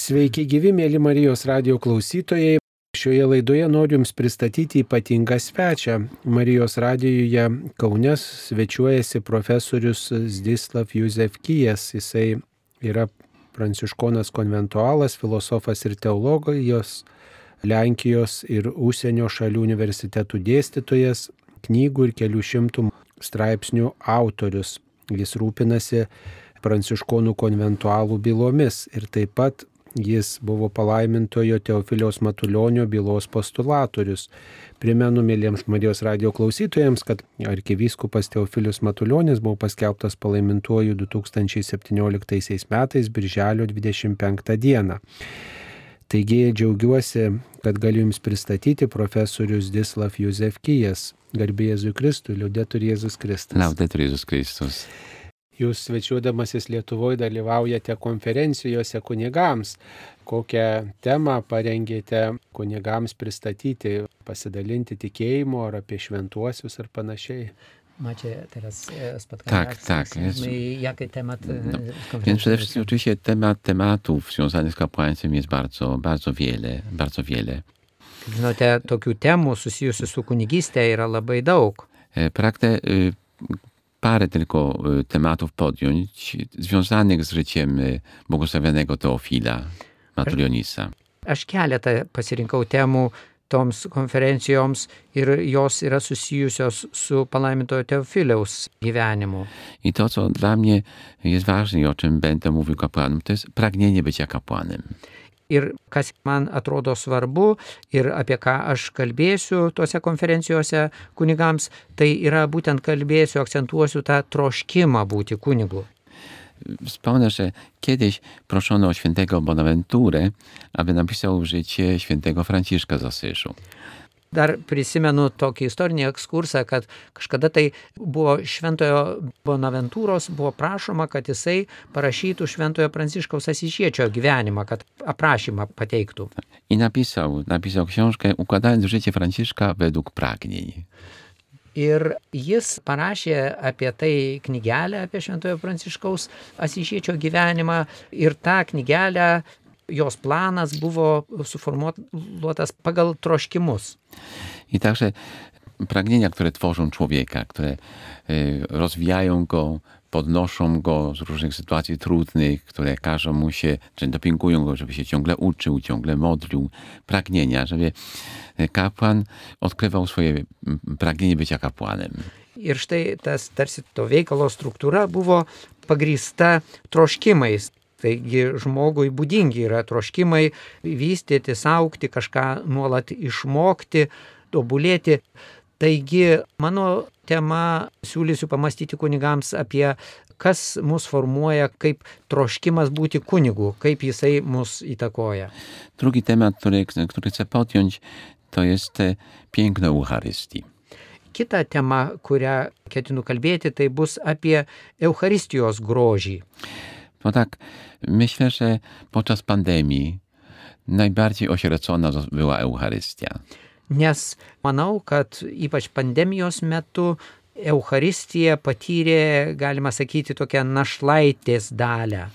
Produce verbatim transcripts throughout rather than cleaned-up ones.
Sveiki gyvi, mėly Marijos radijo klausytojai. Šioje laidoje noriu Jums pristatyti ypatingą svečią. Marijos radijoje Kaune svečiuojasi profesorius Zdzislav Józefkijas. Jisai yra pranciškonas konventualas, filosofas ir teologijos, Lenkijos ir užsienio šalių universitetų dėstytojas, knygų ir kelių šimtų straipsnių autorius. Jis rūpinasi pranciškonų konventualų bylomis ir taip pat jis buvo palaimintojo Teofiliaus Matulionio bylos postulatorius. Primenu mėlyms Marijos radijo klausytojams, kad arkivyskupas Teofilius Matulionis buvo paskelbtas palaimintuoju du tūkstančiai septynioliktaisiais metais birželio dvidešimt penktą dieną. Taigi džiaugiuosi, kad galiu Jums pristatyti profesorius Zdzislav Józefkijas. Garbė Jėzui Kristui, liudetur Jėzus Kristus. Laudetur Jėzus Kristus. Jūs svečiuodamasis Lietuvoje dalyvaujate konferencijose kunigams. Kokią temą parengėte kunigams pristatyti, pasidalinti tikėjimu ar apie šventuosius ar panašiai? Macie teraz spotkania. Tak, tak. Jest, jakie temat no, więc przede wszystkim oczywiście temat tematów związanych z kapłaństwem jest bardzo, bardzo wiele, bardzo wiele. Žinote, tokių temų susijusių su kunigystė yra labai daug. Pragnę y, parę tylko y, tematów podjąć związanych z życiem y, błogosławionego Teofila Matulionisa. Aš keletą pasirinkau temų toms konferencijoms ir jos yra susijusios su palaimintojo Teofiliaus gyvenimu. I to, co dla mnie jest ważne i o czym będę mówił kapłanom, to jest pragnienie bycia kapłanem. Ir kas man atrodo svarbu ir apie ką aš kalbėsiu tose konferencijose kunigams, tai yra būtent kalbėsiu, akcentuosiu tą troškimą būti kunigu. Wspomnę, że kiedyś proszono o świętego Bonaventurę, aby napisał życie świętego Franciszka z Asyżu. Dar prisimenu tokį istorinį ekskursą, kad kažkada tai buvo šventojo Bonaventūros, buvo prašoma, kad jisai parašytų šventojo Pranciškaus Asyžiečio gyvenimą, kad aprašymą pateiktų. I napisał, napisał książkę Układając życie Franciszka według pragnień. Ir jis parašė apie tai knygelę, apie šventojo Pranciškaus Asyžiečio gyvenimą ir tą knygelę, jos planas buvo suformuotas pagal troškimus. I także pragnienia, które tworzą człowieka, które y, rozwijają go, podnoszą go z różnych sytuacji trudnych, które każą mu się, czy dopingują go, żeby się ciągle uczył, ciągle modlił. Pragnienia, żeby kapłan odkrywał swoje pragnienie bycia kapłanem. Ir štai tas tarsi to veikalo struktūra buvo pagrįsta troškimais. Taigi žmogui būdingi yra troškimai vystyti, augti, kažką nuolat išmokti, tobulėti. Taigi mano tema siūlysiu pamastyti kunigams apie kas mus formuoja kaip troškimas būti kunigu, kaip jisai mus įtakoja. Drugi temat, który, który chcę podjąć, to jest piękno Eucharystii. Kita tema, kurią ketinu kalbėti, tai bus apie Eucharistijos grožį. No tak, myślę, że podczas pandemii najbardziej osierocona była Eucharystia. Nes manau, kad ypač pandemijos metu Eucharistija patyrė, galima sakyti, tokią našlaitės dalę.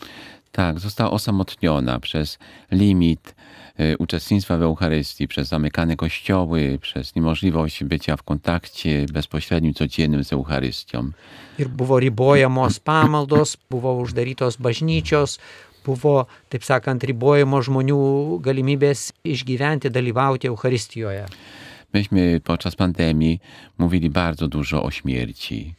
Tak, została osamotniona przez limit y, uczestnictwa w Eucharystii, przez zamykane kościoły, przez niemożliwość bycia w kontakcie bezpośrednim, codziennym z Eucharystią. Ir buvo ribojamos pamaldos, buvo uždarytos bažnyčios, buvo, taip sakant, ribojamos žmonių galimybės išgyventi, dalyvauti Eucharistijoje. Myśmy podczas pandemii mówili bardzo dużo o śmierci,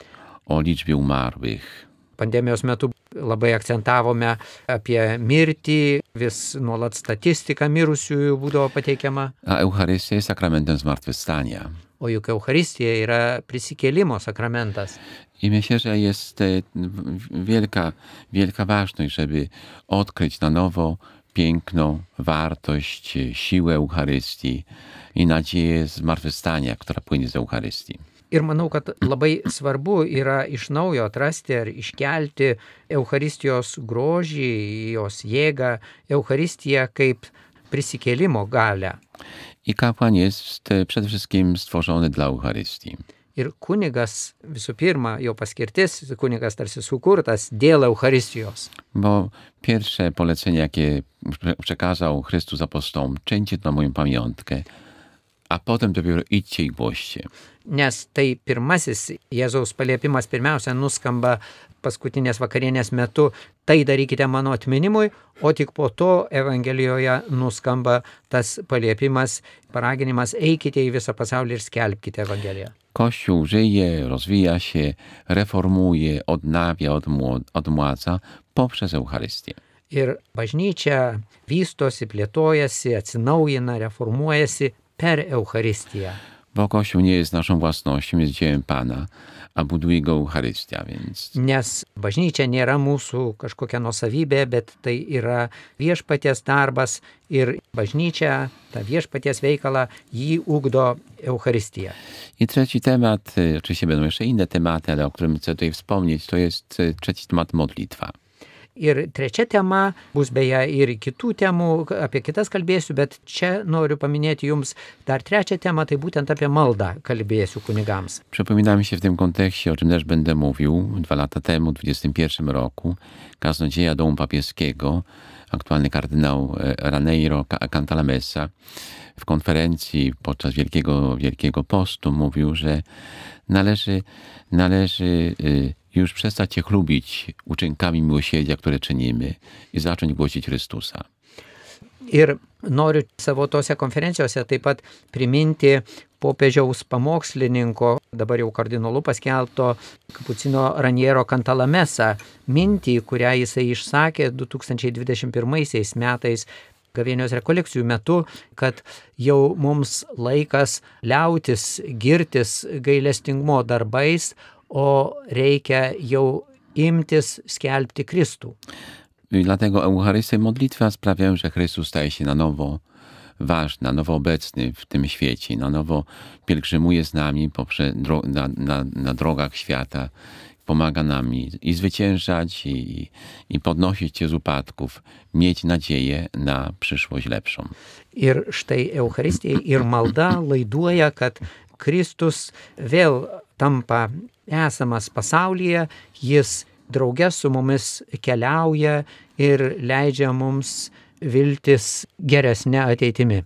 o liczbie umarłych. Pandemijos metu labai akcentavome apie mirtį, vis nuolat statistika mirusiųjų būdavo pateikiama. A Eucharystia jest sakramentem zmartwychwstania. O juk Eucharistija yra prisikėlimo sakramentas. I myślę, że jest wielka, wielka ważność, żeby odkryć na nowo piękno, wartość, siłę Eucharystii i nadzieję zmartwychwstania, która płynie z Eucharystii. Ir manau, kad labai svarbu yra iš naujo atrasti ar iškelti Eucharistijos grožį, jos jėgą, Eucharistiją kaip prisikėlimo galę. I kapłan jest przede wszystkim stworzony dla Eucharystii. Ir kunigas, visų pirma, jo paskirtis, kunigas tarsi sukurtas dėl Eucharistijos. Bo pierwsze polecenie, jakie przekazał Chrystus apostołom, czyńcie to na moją pamiątkę, a potem dopiero idźcie i głoście. Nes tai pirmasis Jėzaus paliepimas pirmiausia nuskamba paskutinės vakarienės metu, tai darykite mano atminimui, o tik po to Evangelijoje nuskamba tas paliepimas, paraginimas, eikite į visą pasaulį ir skelbkite Evangeliją. Kościół żyje, rozwija się, reformuje, odnawia, odmło- odmładza poprzez Eucharystię. Ir bažnyčia vystosi, plėtojasi, atsinaujina, reformuojasi per Eucharistiją. Bo Kościół nie jest naszą własnością, jest dziełem Pana, a buduje go Eucharystia, więc Nes bažnyčia nėra mūsų kažkokia nuosavybė, bet tai yra viešpaties darbas ir bažnyčia, ta viešpaties veikalą, jį ugdo Eucharistija. I trzeci temat, y, oczywiście będą jeszcze inne tematy, ale o którym chcę tutaj wspomnieć, to jest y, trzeci temat modlitwa. Ir trečia tema bus beje ir kitų temų, apie kitas kalbėsiu, bet čia noriu paminėti jums dar trečią temą, tai būtent apie maldą kalbėsiu kunigams. Przypomina mi się w tym kontekście, o czym też będę mówił, dwa lata temu, w dwudziestym pierwszym roku, kaznodzieja Domu Papieskiego, aktualny kardynał e, Raneiro Ca- Cantalamessa, w konferencji podczas Wielkiego, Wielkiego Postu mówił, że należy, należy y, już przestać się chlubić uczynkami miłosierdzia, które czynimy i zacząć głosić Chrystusa. Ir noriu savo tose konferencijose taip pat priminti popiežiaus pamokslininko, dabar jau kardinolu paskelbto Kapucino Raniero Cantalamessa mintį, kurią jisai išsakė du tūkstančiai dvidešimt pirmaisiais metais gavėnios rekolekcijų metu, kad jau mums laikas liautis girtis gailestingumo darbais, o reikia jau imtis skelbti Kristų. I dlatego Eucharystia i modlitwa sprawiają, że Chrystus staje się na nowo ważny, na nowo obecny w tym świecie, na nowo pielgrzymuje z nami poprzez dro- na, na, na drogach świata, pomaga nam i, i zwyciężać, i, i podnosić się z upadków, mieć nadzieję na przyszłość lepszą. Ir štai Eucharistija ir malda laiduoja, kad Kristus vėl tampa esamas pasaulyje, jis drauge su mumis keliauja ir leidžia mums viltis geresnė ateitimi.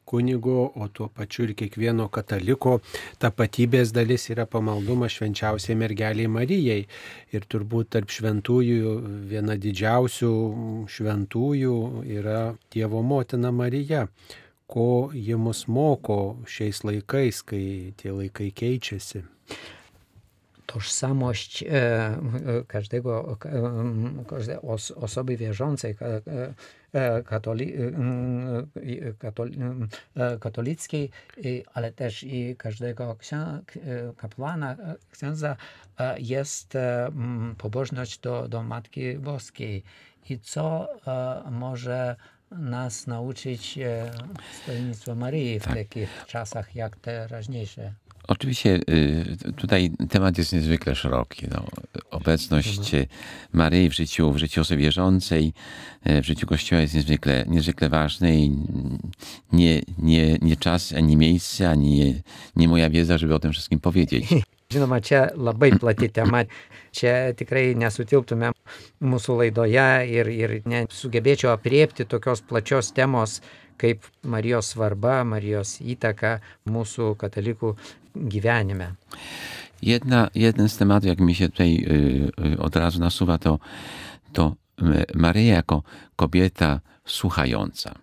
Kunigo, o tuo pačiu ir kiekvieno kataliko tapatybės dalis yra pamaldumas švenčiausiai mergeliai Marijai. Ir turbūt tarp šventųjų viena didžiausių šventųjų yra Dievo motina Marija. Ko ji mus moko šiais laikais, kai tie laikai keičiasi. Tożsamość e, każdego, każdej os, osoby wierzącej e, katoli, e, katoli, e, katolickiej, ale też i każdego księ, kapłana, księdza e, jest e, pobożność do, do Matki Boskiej. I co e, może nas nauczyć e, stolnictwo Maryi w takich czasach jak teraźniejsze? Oczywiście y, tutaj temat jest niezwykle szeroki. No, obecność Maryi w życiu, w życiu osoby wierzącej, y, w życiu Kościoła jest niezwykle, niezwykle ważne i nie, nie, nie czas, ani miejsce, ani nie, nie moja wiedza, żeby o tym wszystkim powiedzieć. Žinoma, čia labai plati tema, čia tikrai nesutilptume mūsų laidoje ir, ir nesugebėčiau apriepti tokios plačios temos kaip Marijos svarba, Marijos įtaka mūsų katalikų gyvenime. Jedna, jeden z tematów, jak mi się tutaj y, y, od razu nasuwa, to, to Maryja jako kobieta słuchająca.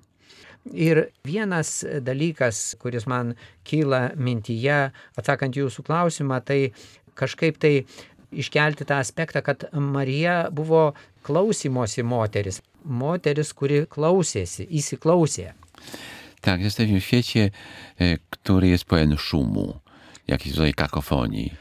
Ir vienas dalykas, kuris man kyla mintyje, atsakant jūsų klausimą, tai kažkaip tai iškelti tą aspektą, kad Marija buvo klausymosi moteris. Moteris, kuri klausėsi, įsiklausė. Tak, jesteśmy w świecie, y, który jest pełen szumu, jakiejś rodzaju kakofonii.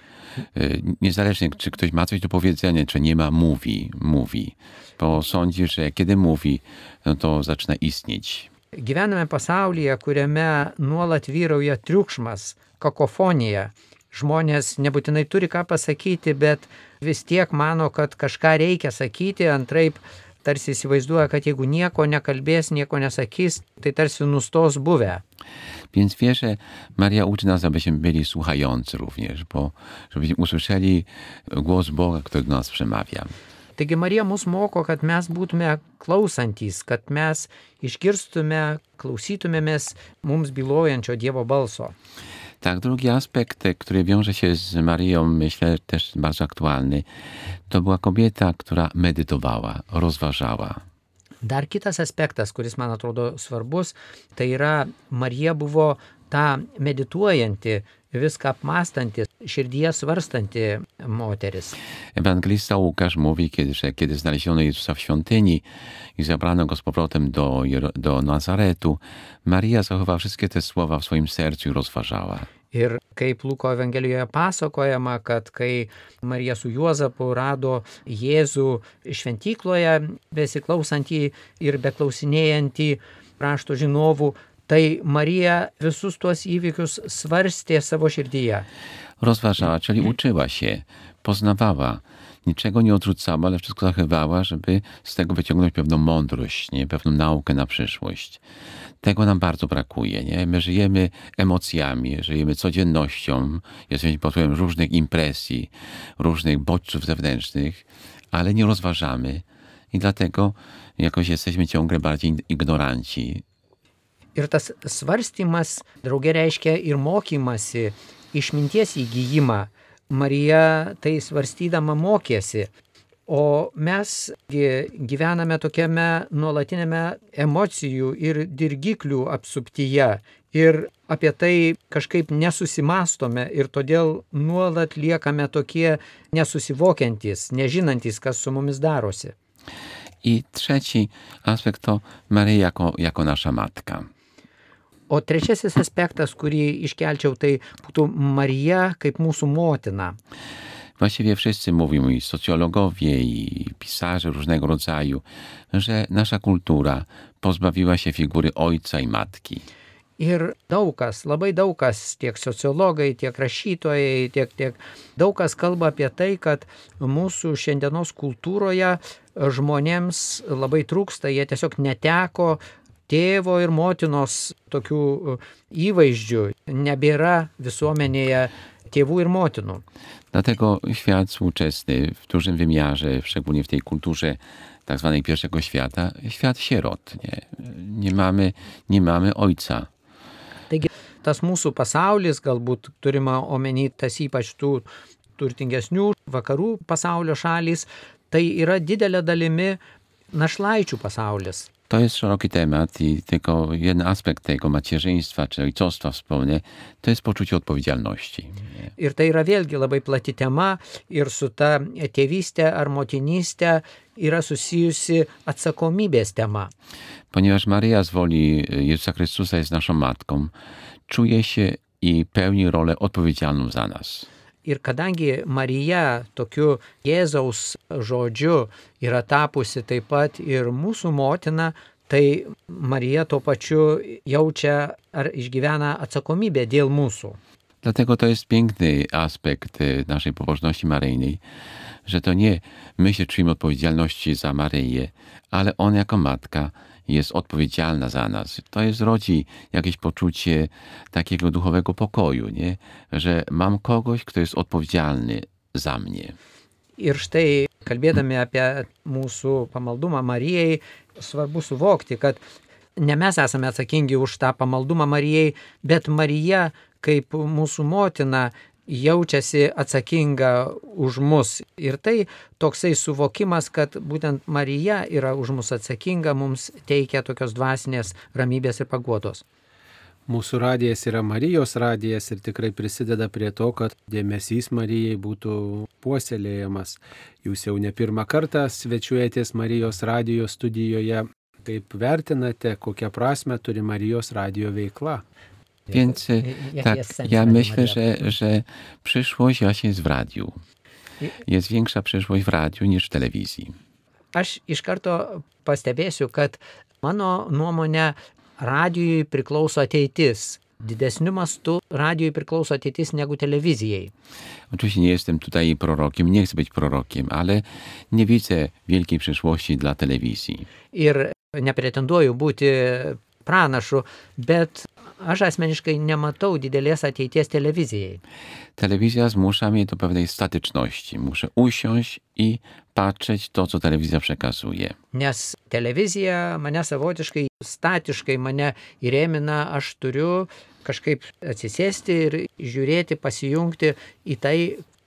Y, niezależnie, czy ktoś ma coś do powiedzenia, czy nie ma, mówi, mówi. Bo sądzi, że kiedy mówi, no to zaczyna istnieć. Gyvename pasaulyje, kuriame nuolat vyrauja triukšmas, kakofonija. Žmonės nebūtinai turi ką pasakyti, bet vis tiek mano, kad kažką reikia sakyti, antraip tarsi įsivaizduoja, kad jeigu nieko nekalbės, nieko nesakys, tai tarsi nustos buvę. Więc wie, że Maria uczy nas, abyśmy byli słuchający również, bo żebyśmy usłyszeli głos Boga, który do nas przemawia. Taigi Marija mus moko, kad mes būtume klausantys, kad mes išgirstume, klausytumėmės mums bylojančio Dievo balso. Tak, drugi aspekt, który wiąże się z Marią, myślę też bardzo aktualny, to była kobieta, która medytowała, rozważała. Dar kitas aspektas, kuris man atrodo svarbus, tai yra Marija buvo ta medituojanti, viską apmąstanti, širdyje svarstanti moteris. Ewangelista Łukasz mówi, kiedy, że kiedy znaleziono Jezusa w świątyni i zabrano go z powrotem do, do Nazaretu, Maria zachowała wszystkie te słowa w swoim sercu i rozważała. Ir kaip Luko Evangelijoje pasakojama, kad kai Marija su Juozapu rado Jėzų šventykloje, besiklausantį ir beklausinėjantį rašto žinovų, tai Marija visus tuos įvykius svarstė savo širdyje. Rozważała, czyli uczyła się, poznawała, niczego nie odrzucała, ale wszystko zachowała, żeby z tego wyciągnąć pewną mądrość, nie? Pewną naukę na przyszłość. Tego nam bardzo brakuje. Nie? My żyjemy emocjami, żyjemy codziennością, jesteśmy pod wpływem różnych impresji, różnych bodźców zewnętrznych, ale nie rozważamy i dlatego jakoś jesteśmy ciągle bardziej ignoranci. Ir tas svarstymas drauge reiškia ir mokymasi, išminties įgyjimą. Marija tai svarstydama mokėsi, o mes gyvename tokiame nuolatinėme emocijų ir dirgiklių apsuptyje ir apie tai kažkaip nesusimastome ir todėl nuolat liekame tokie nesusivokiantys, nežinantys, kas su mumis darosi. I trzeci aspekt to Marija jako, jako nasza matka. O trečiasis aspektas, kurį iškelčiau, tai būtų Marija kaip mūsų motina. Właściwie wszyscy mówią, i socjologowie, i pisarze różnego rodzaju, że nasza kultura pozbawiła się figury ojca i matki. Ir daug kas, labai daug kas, tiek sociologai, tiek rašytojai, tiek, tiek daug kas kalba apie tai, kad mūsų šiandienos kultūroje žmonėms labai trūksta, jie tiesiog neteko tėvo ir motinos tokių įvaizdžių, nebėra visuomenėje tėvų ir motinų. Dlatego świat współczesny w dużym wymiarze, szczególnie w tej kulturze tak zwanej pierwszego świata, świat sierot. Nie, nie, mamy, nie mamy ojca. Taigi tas mūsų pasaulis, galbūt turima omeny tas ypač tų turtingesnių vakarų pasaulio šalys, tai yra didelė dalimi našlaičių pasaulis. To jest szeroki temat i tylko jeden aspekt tego macierzyństwa czy ojcostwa wspomnę, to jest poczucie odpowiedzialności. Ir tai yra vėlgi labai plati tema ir su ta tėvystė ar motinystė yra susijusi atsakomybės tema. Ponieważ Maryja z woli Jezusa Chrystusa jest naszą matką, czuje się i pełni rolę odpowiedzialną za nas. Ir kadangi Marija tokiu Jėzaus žodžiu yra tapusi taip pat ir mūsų motina, tai Marija tuo pačiu jaučia ar išgyvena atsakomybę dėl mūsų. Dlatego to jest piękny aspekt naszej pobożności maryjnej, że to nie my się czujemy odpowiedzialności za Maryję, ale ona jako matka jest odpowiedzialna za nas. To jest rodzi jakieś poczucie takiego duchowego pokoju, nie? Że mam kogoś, kto jest odpowiedzialny za mnie. Ir štai, kalbėdami apie mūsų pamaldumą Marijai, svarbu suvokti, kad ne mes esame atsakingi už tą pamaldumą Marijai, bet Marija kaip mūsų motina jaučiasi atsakinga už mus. Ir tai toksai suvokimas, kad būtent Marija yra už mus atsakinga, mums teikia tokios dvasinės ramybės ir paguodos. Mūsų radijas yra Marijos radijas ir tikrai prisideda prie to, kad dėmesys Marijai būtų puoselėjamas. Jūs jau ne pirmą kartą svečiuojatės Marijos radijo studijoje. Kaip vertinate, kokią prasmę turi Marijos radijo veikla? Więc tak, ja myślę, że, że przyszłość właśnie jest w radiu. Jest większa przyszłość w radiu niż w telewizji. Aš iš karto pastebėsiu, kad mano nuomonė radijui priklauso ateitis. didesniu mastu radijui priklauso ateitis negu telewizjai. Oczywiście nie jestem tutaj prorokiem, nie chcę być prorokiem, ale nie widzę wielkiej przyszłości dla telewizji. Ir nepretenduoju būti pranašu, bet aš asmeniškai nematau didelės ateities telewizjai. Telewizja zmusza mnie do pewnej statyczności. Muszę usiąść i patrzeć to, co telewizja przekazuje. Nes telewizija mane savotiškai statiškai mane įrėmina, aš turiu kažkaip atsisėsti ir žiūrėti, pasijungti į tai,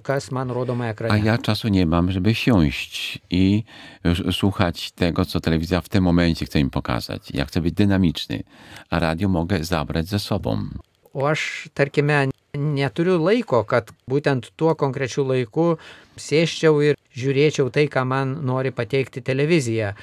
kas man rodoma A ekrane. ja czasu nie mam, żeby siąść i s- słuchać tego, co telewizja w tym momencie chce mi pokazać. Ja chcę być dynamiczny, a radio mogę zabrać ze sobą. O aš, tarkime, neturiu laiko, kad būtent tuo konkrečiu laiku sėsčiau ir žiūrėčiau tai, ką man nori pateikti telewizija.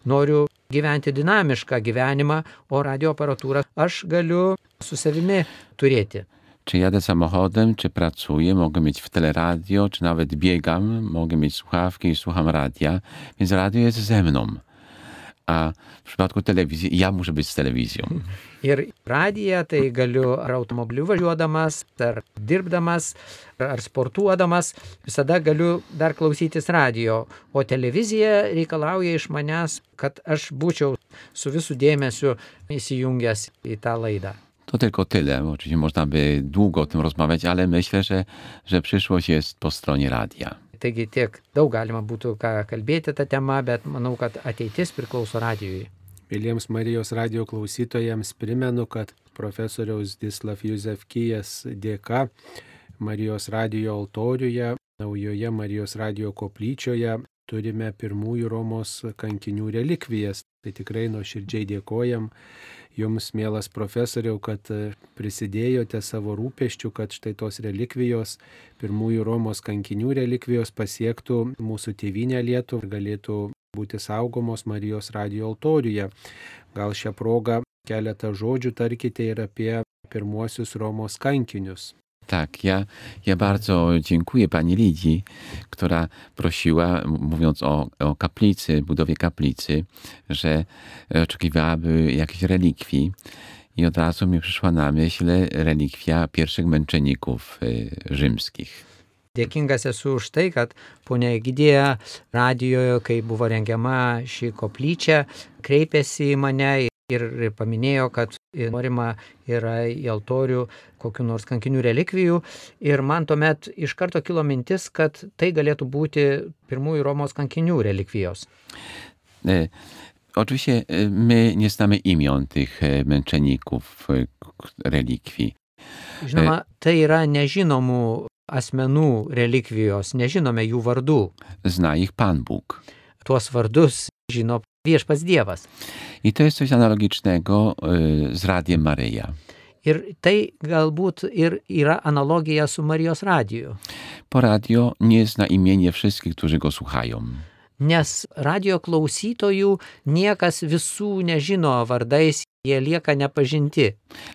Noriu gyventi dinamišką gyvenimą, o radio aparatūrą aš galiu su savimi turėti. Czy jadę samochodem, czy pracuję, mogę mieć w teleradio, czy nawet biegam, mogę mieć słuchawki i słucham radia, więc radio jest ze mną. A w przypadku telewizji ja muszę być z telewizją. Ir radiją tai galiu ar automobiliu važiuodamas, ar dirbdamas, ar sportuodamas, visada galiu dar klausytis radio. O telewizija reikalauja iš manęs, kad aš būčiau su visų dėmesiu įsijungęs į tą laidą. To tylko tyle. Oczywiście można by długo o tym rozmawiać, ale myślę, że, że przyszłość jest po stronie radia. Taigi tiek daug galima būtų ką kalbėti tą temą, bet manau, kad ateitis priklauso radijui. Mėlyjams Marijos radio klausytojams primenu, kad profesoriaus Zdzislav Józefkijas dėka Marijos radio altoriuje, naujoje Marijos radio koplyčioje turime pirmųjų Romos kankinių relikvijas. Tai tikrai nuoširdžiai dėkojam Jums, mielas profesoriau, kad prisidėjote savo rūpeščių, kad štai tos relikvijos, pirmųjų Romos kankinių relikvijos pasiektų mūsų tėvynę Lietuvą ir galėtų būti saugomos Marijos radio altoriuje. Gal šią progą keletą žodžių tarkite ir apie pirmuosius Romos kankinius. Tak, ja, ja bardzo dziękuję pani Lidii, która prosiła, mówiąc o, o kaplicy, budowie kaplicy, że oczekiwałaby jakiejś relikwii. I od razu mi przyszła na myśl relikwia pierwszych męczenników y, rzymskich. Dėkingas esu už tai, kad ponia Egidija radijoje, kai buvo rengiama ši koplyčia, kreipėsi į mane ir paminėjo, kad norima yra į altorių kokių nors kankinių relikvijų. Ir man tuomet iš karto kilo mintis, kad tai galėtų būti pirmųjų Romos kankinių relikvijos. E, oczywiście e, my nie znamy imion tych e, męczenników e, relikwii. Žinoma, tai yra nežinomų asmenų relikvijos, nežinome jų vardų. Zna ich Pan Bóg. Tuos vardus žino viešpats Dievas. I to jest coś analogicznego y, z Radiem Maryja. Ir tai galbūt ir yra analogija su Marijos radiju. Po radio nie zna imienia wszystkich, którzy go słuchają. Nes radio klausytojų niekas visų nežino vardais, jie lieka nepažinti.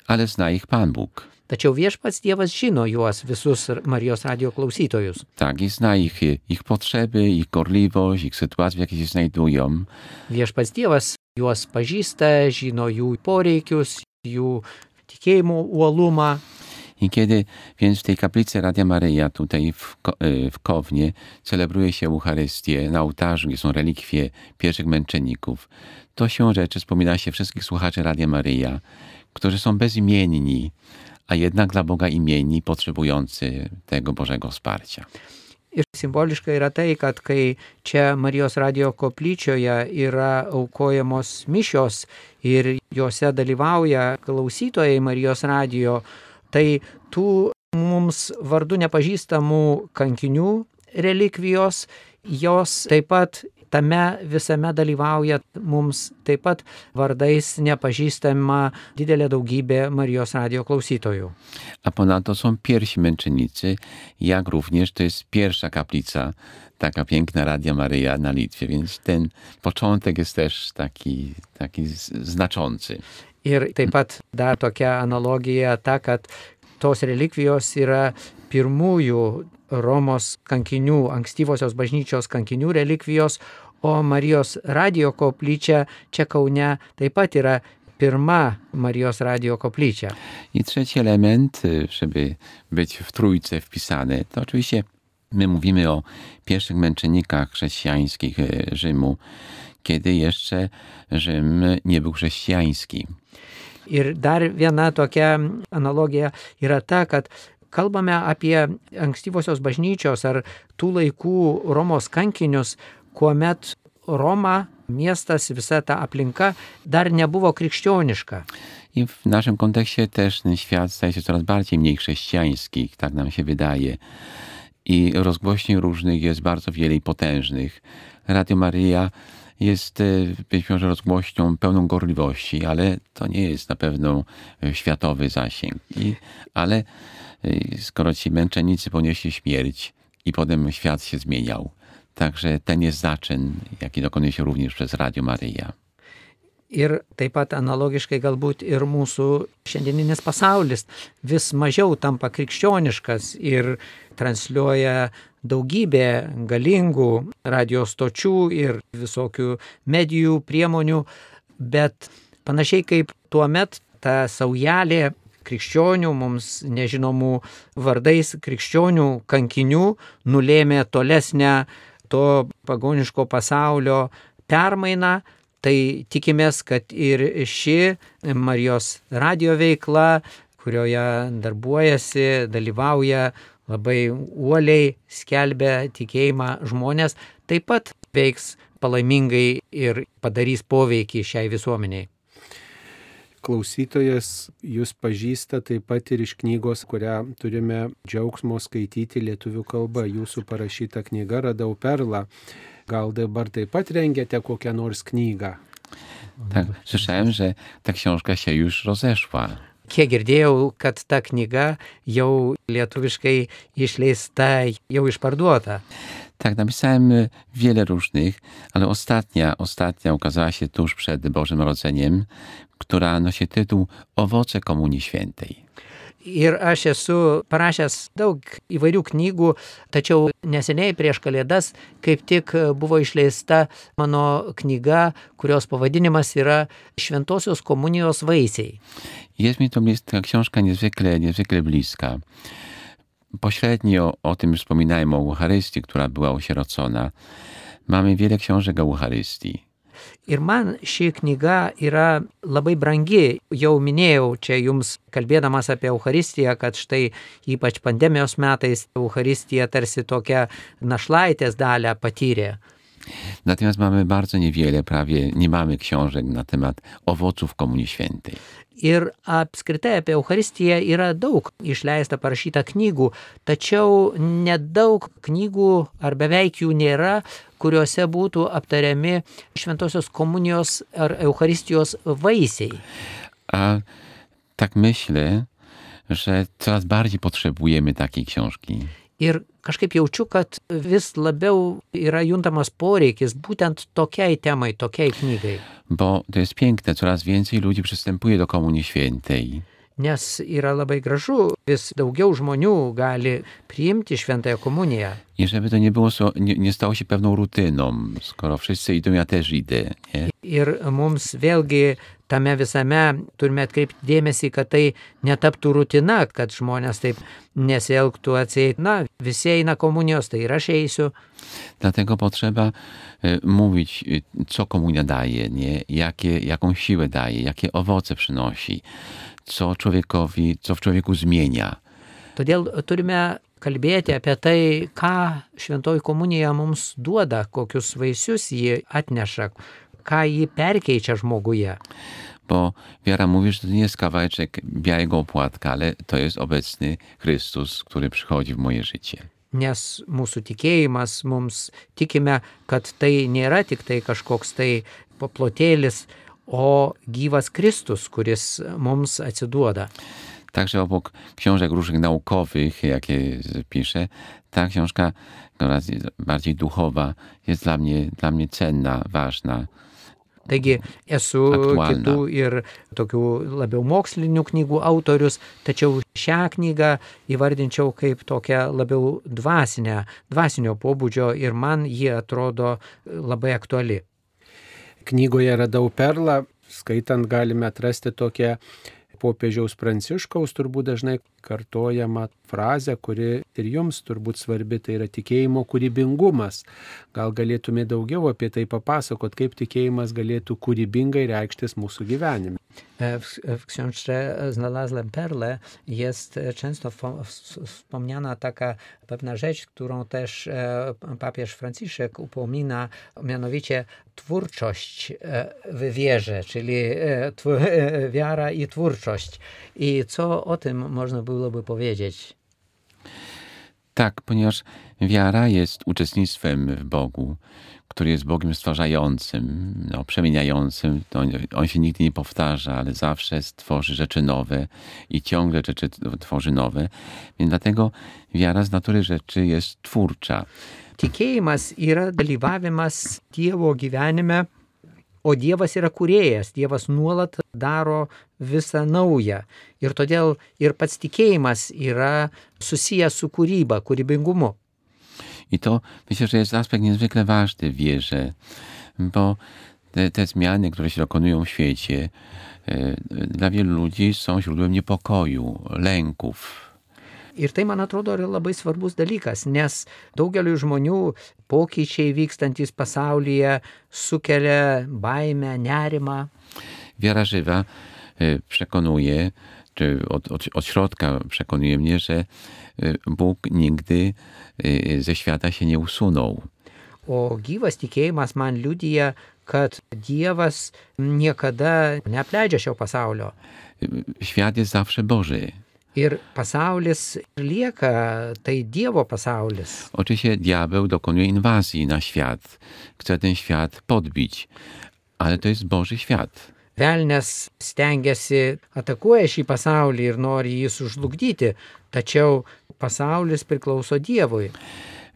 Ale zna ich Pan Bóg. Tačiau viešpats Dievas žino juos visus Marijos radio klausytojus. Tak, i zna ich, ich potrzeby, ich gorliwość, ich sytuację, w jakiej się znajdują. Viešpats Dievas juos pažįsta, žino jų poreikius, jų tikėjimo uolumą. I kiedy więc w tej kaplicy Radia Maryja, tutaj w, Ko- y, w Kownie, celebruje się Eucharystię, na ołtarzu, gdzie są relikwie pierwszych męczenników, to siłą rzeczy wspomina się wszystkich słuchaczy Radia Maryja, którzy są bezimienni, a jednak dla Boga imienni, potrzebujący tego Bożego wsparcia. Ir simboliška yra tai, kad kai čia Marijos radio koplyčioje yra aukojamos mišios ir juose dalyvauja klausytojai Marijos radio, tai tų mums vardu nepažįstamų kankinių relikvijos, jos taip pat tame visame dalyvauja mums taip pat vardais nepažįstama didelė daugybė Marijos radio klausytojų. A ponadto są pierwsi męczennicy, jak również to jest pierwsza kaplica, taka piękna Radia Maryja na Litwie, więc ten początek jest też taki, taki z- znaczący. Ir taip pat dar tokia analogija ta, kad tos relikvijos yra pirmųjų Romos kankinių, ankstyvosios bažnyčios kankinių relikvijos, o Marijos radio koplyčia čia Kaune taip pat yra pirma Marijos Radio koplyčia. I trzeci element, żeby być w trójce wpisane, to oczywiście my mówimy o pierwszych męczennikach chrześcijańskich Rzymu, kiedy jeszcze Rzym nie był chrześcijański. Ir dar viena tokia analogija yra ta, kad kalbame apie ankstyvosios bažnyčios ar tų laikų Romos kankinius, kuomet Roma, miestas, visa ta aplinka dar nebuvo krikščioniška. I w naszym kontekście też ten świat staje się coraz bardziej mniej chrześcijański, tak nam się wydaje. I rozgłośni różnych jest bardzo wiele i potężnych. Radio Maryja jest być może rozgłośnią pełną gorliwości, ale to nie jest na pewno światowy zasięg. I, ale skoro ci męczennicy ponieśli śmierć i potem świat się zmieniał, także ten jest zaczyn, jaki dokonuje się również przez Radio Maryja. Ir taip pat analogiškai galbūt ir mūsų šiandieninis pasaulis vis mažiau tampa krikščioniškas ir transliuoja daugybę galingų radio stočių ir visokių medijų priemonių, bet panašiai kaip tuomet ta saujelė krikščionių, mums nežinomų vardais krikščionių kankinių nulėmė tolesnę to pagoniško pasaulio permainą. Tai tikimės, kad ir ši Marijos radio veikla, kurioje darbuojasi, dalyvauja labai uoliai, skelbia tikėjimą žmonės, taip pat veiks palaimingai ir padarys poveikį šiai visuomeniai. Klausytojas jūs pažįsta taip pat ir iš knygos, kurią turime džiaugsmo skaityti lietuvių kalba. Jūsų parašyta knyga Radau perlą. Gal dabar taip pat rengiate kokią nors knygą? Tak, słyszałem, że ta książka się już rozeszła. Kiek girdėjau, kad ta knyga jau lietuviškai išleista, jau išparduota. Tak, napisałem wiele różnych, ale ostatnia, ostatnia ukazała się tuż przed Bożym Narodzeniem, która nosi tytuł Owoce Komunii Świętej. Ir aš esu parašęs daug įvairių knygų, tačiau neseniai prieš Kalėdas kaip tik buvo išleista mano knyga, kurios pavadinimas yra Šventosios komunijos vaisiai. Jest mi to ta książka niezwykle, niezwykle bliska. Pośrednio o tym już wspominałem, o Eucharystii, która była osierocona. Mamy wiele książek o Eucharystii. Ir man ši knyga yra labai brangi. Jau minėjau čia jums, kalbėdamas apie Eucharistiją, kad štai ypač pandemijos metais Eucharistija tarsi tokia našlaitės dalę patyrė. Natomiast mamy bardzo niewiele, prawie nie mamy książek na temat owoców Komunii Świętej. Ir apskritai apie Eucharistiją yra daug išleista parašyta knygų, tačiau nedaug knygų ar beveik jų nėra, kuriuose būtų aptariami Šventosios komunijos ar Eucharistijos vaisiai. A tak myślę, że coraz bardziej potrzebujemy takiej książki. Ir kažkaip jaučiu, kad vis labiau yra juntamas poreikis būtent tokiai temai, tokiai knygai. Bo to jest piękne, coraz więcej ludzi przystępuje do Komunii Świętej. Nes yra labai gražu, vis daugiau žmonių gali priimti Šventąją komuniją. I żeby to nie było, nie, nie stało się pewną rutyną, skoro wszyscy idą, ja też idę. Nie? Ir mums vėlgi tame visame turime atkreipti dėmesį, kad tai netaptų rutina, kad žmonės taip nesielgtų atseit, na, visi eina komunijos, tai ir aš eisiu. Dlatego potrzeba y, mówić, y, co komunia daje, nie? Jakie, jaką siłę daje, jakie owoce przynosi, co człowiekowi, co w człowieku zmienia. Todėl turime kalbėti apie tai, ką Šventoji komunija mums duoda, kokius vaisius ji atneša, ką ji perkeičia žmoguje. Bo wiara mówi, że to nie jest kawałeczek białego opłatka, ale to jest obecny Chrystus, który przychodzi w moje życie. Nes mūsų tikėjimas, mums tikime, kad tai nėra tik tai kažkoks tai paplotėlis, o gyvas Kristus, kuris mums atsiduoda. Także obok książek różnych naukowych, jakie piszę, ta książka, która jest bardziej duchowa, jest dla mnie, dla mnie cenna, ważna. Taigi esu aktualna. Kitų ir tokių labiau mokslinių knygų autorius, tačiau šią knygą įvardinčiau kaip tokią labiau dvasinę, dvasinio pobūdžio ir man ji atrodo labai aktuali. Knygoje Radau perlą skaitant galime atrasti tokią popiežiaus Pranciškaus turbūt dažnai kartojama frazė, kuri ir jums turbūt svarbi, tai yra tikėjimo kūrybingumas. Gal galėtume daugiau apie tai papasakot, kaip tikėjimas galėtų kūrybingai reikštis mūsų gyvenime. W, w książce znalazłem perlę, jest często wspomniana taka pewna rzecz, którą też papież Franciszek upomina, mianowicie twórczość w wierze, czyli wiara i twórczość. I co o tym można byłoby powiedzieć? Tak, ponieważ wiara jest uczestnictwem w Bogu, który jest Bogiem stwarzającym, no, przemieniającym. To on, on się nigdy nie powtarza, ale zawsze tworzy rzeczy nowe i ciągle rzeczy tworzy nowe. Więc dlatego wiara z natury rzeczy jest twórcza. Tikėjimas yra dalyvavimas Dievo gyvenime, o Dievas yra kūrėjas. Dievas nuolat daro visą naują. Ir todėl ir pats tikėjimas yra susijęs su kūryba, kūrybingumu. I to myślę, że jest aspekt niezwykle ważny w wierze, bo te, te zmiany, które się dokonują w świecie, e, dla wielu ludzi są źródłem niepokoju, lęków. Ir tai, man atrodo, yra labai svarbus dalykas, nes daugeliu žmonių pokyčiai vykstantis pasaulyje sukelia baimę, nerimą. Wiara żywa e, przekonuje, czy od, od, od środka przekonuje mnie, że Bóg nigdy ze świata się nie usunął. O gyvas tikėjimas man liudija, kad Dievas niekada neapleidžia šio pasaulio. Świat jest zawsze Boży. Ir pasaulis lieka, tai Dievo pasaulis. Oczywiście diabeł dokonuje inwazji na świat. Chce ten świat podbić, ale to jest Boży świat. Velnias stengiasi, atakuoja šį pasaulį ir nori jį sužlugdyti, tačiau pasaulis priklauso Dievui.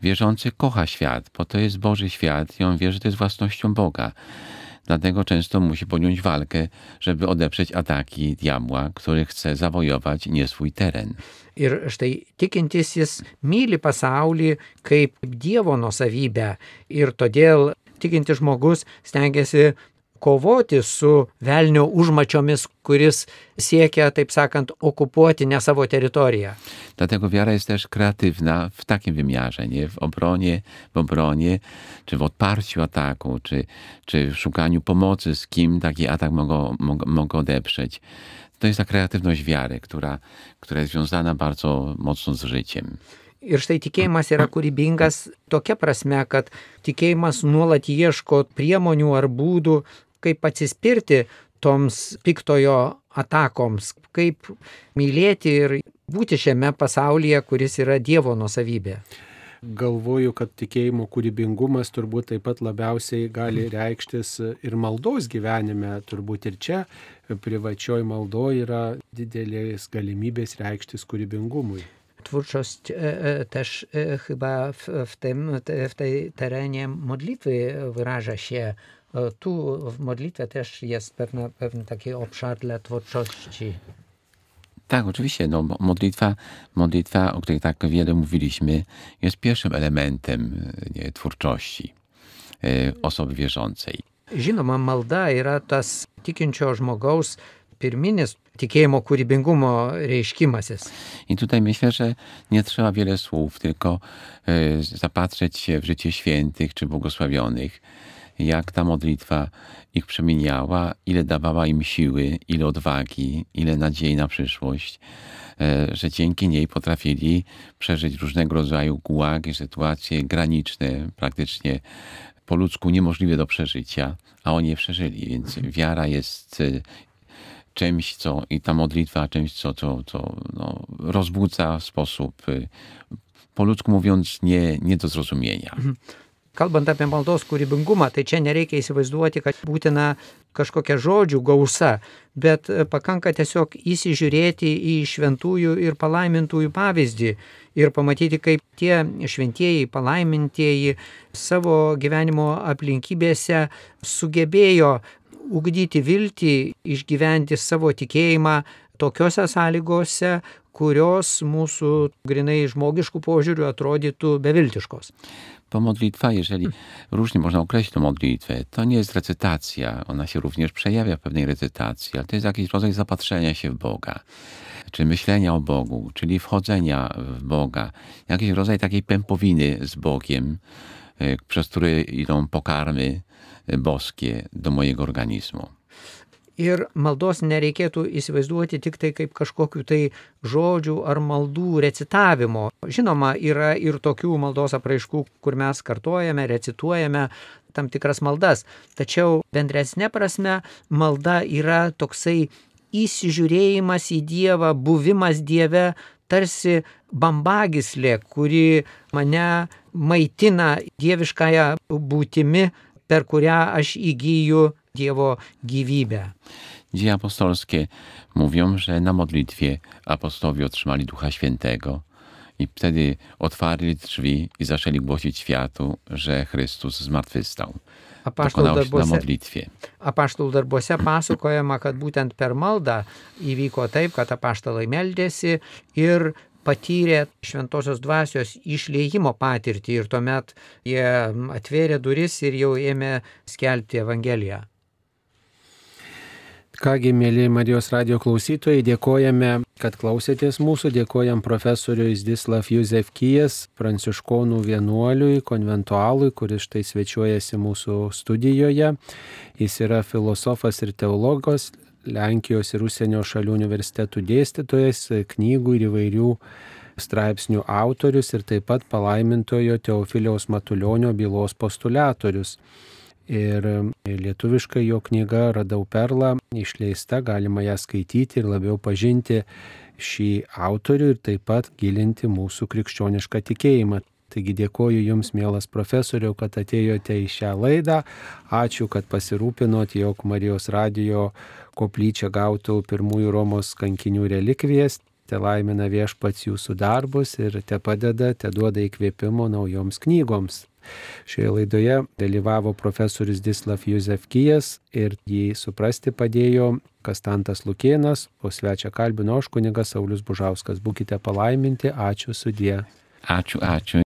Wierzący kocha świat, bo to jest Boży świat i on wie, że to jest własnością Boga. Dlatego często musi podjąć walkę, żeby odeprzeć ataki diabła, który chce zawojować nie swój teren. Ir štai tikintysis myli pasaulį kaip Dievo nuosavybę ir todėl tikintis žmogus stengiasi kovoti su velnio užmačiomis, kuris siekia, taip sakant, okupuoti ne savo teritoriją. Dlatego wiara jest też kreatywna w takim wymiarze, nie? W obronie, w obronie, czy w odparciu ataku, czy, czy w szukaniu pomocy, z kim taki atak mogą, mogą, mogą odeprzeć. To jest ta kreatywność wiary, która, która jest związana bardzo mocno z życiem. Ir štai tikėjimas yra kūrybingas tokia prasme, kad tikėjimas nuolat ieško priemonių ar būdų, kaip atsispirti toms piktojo atakoms, kaip mylėti ir būti šiame pasaulyje, kuris yra Dievo nuosavybė. Galvoju, kad tikėjimo kūrybingumas turbūt taip pat labiausiai gali reikštis ir maldos gyvenime. Turbūt ir čia privačioj maldoje yra didelės galimybės reikštis kūrybingumui. Twórczość e, też e, chyba w, w, tym, te, w tej terenie modlitwy wyraża się. E, tu w modlitwie też jest pewna, pewien taki obszar dla twórczości. Tak, oczywiście. No, modlitwa, modlitwa, o której tak wiele mówiliśmy, jest pierwszym elementem nie, twórczości e, osoby wierzącej. Žinoma, malda yra tas tikinčio žmogaus pirminis tikėjimo kūrybingumo reiškimasis. I tutaj myślę, że nie trzeba wiele słów, tylko e, zapatrzeć się w życie świętych czy błogosławionych, jak ta modlitwa ich przemieniała, ile dawała im siły, ile odwagi, ile nadziei na przyszłość, e, że dzięki niej potrafili przeżyć różnego rodzaju gułagi, sytuacje graniczne, praktycznie po ludzku niemożliwe do przeżycia, a oni je przeżyli, więc wiara jest czymś, co i ta modlitwa czymś, co, co, co no, rozbudza w sposób, po ludzku mówiąc, nie, nie do zrozumienia. Kalbant apie maldos kūrybingumą, tai čia nereikia įsivaizduoti, kad būtina kažkokia žodžių gausa, bet pakanka tiesiog įsižiūrėti į šventųjų ir palaimintųjų pavyzdį ir pamatyti, kaip tie šventieji, palaimintieji savo gyvenimo aplinkybėse sugebėjo ugdyti viltį, išgyventi savo tikėjimą tokiose sąlygose, kurios mūsų grinai žmogiškų požiūrių atrodytų beviltiškos. Bo modlitwa, jeżeli różnie można określić tę modlitwę, to nie jest recytacja. Ona się również przejawia w pewnej recytacji, ale to jest jakiś rodzaj zapatrzenia się w Boga, czy myślenia o Bogu, czyli wchodzenia w Boga. Jakiś rodzaj takiej pępowiny z Bogiem, przez który idą pokarmy boskie do mojego organizmu. Ir maldos nereikėtų įsivaizduoti tik tai kaip kažkokių tai žodžių ar maldų recitavimo. Žinoma, yra ir tokių maldos apraiškų, kur mes kartojame, recituojame tam tikras maldas. Tačiau bendresnė prasme malda yra toksai įsižiūrėjimas į Dievą, buvimas Dieve, tarsi bambagyslė, kuri mane maitina dieviškąją būtimi, per kurią aš įgyju Diewo gyvybę. Dzieje apostolskie mówią, że na modlitwie apostołowie otrzymali Ducha Świętego i wtedy otwarli drzwi i zaczęli głosić światu, że Chrystus zmartwychwstał. Dokonało się na modlitwie. Apaštalų darbuose pasakojama, kad būtent per maldą įvyko taip, kad apaštalai meldėsi ir patyrė šventosios dvasios išliejimo patirtį ir tuomet jie atvėrė duris ir jau ėmė skelbti Evangeliją. Kągi, mėly Marijos radijo klausytojai, dėkojame, kad klausėtės mūsų, dėkojam profesoriui Zdzislav Józefkijas, pranciškonų vienuoliui, konventualui, kuris štai svečiuojasi mūsų studijoje. Jis yra filosofas ir teologas, Lenkijos ir užsienio šalių universitetų dėstytojas, knygų ir įvairių straipsnių autorius ir taip pat palaimintojo Teofiliaus Matulionio bylos postuliatorius. Ir lietuviškai jo knyga Radau perlą išleista, galima ją skaityti ir labiau pažinti šį autorių ir taip pat gilinti mūsų krikščionišką tikėjimą. Taigi dėkoju Jums, mielas profesoriau, kad atėjote į šią laidą. Ačiū, kad pasirūpinot, jog Marijos radijo koplyčia gautų pirmųjų Romos kankinių relikvijas. Te laimina Viešpats jūsų darbus ir te padeda, te duoda įkvėpimo naujoms knygoms. Šioje laidoje dalyvavo profesorius Zdzislav Józefkijas ir jį suprasti padėjo Kastantas Lukėnas, o svečią kalbino aš kunigas Saulius Bužauskas. Būkite palaiminti, ačiū, sudie. Ačiū, ačiū.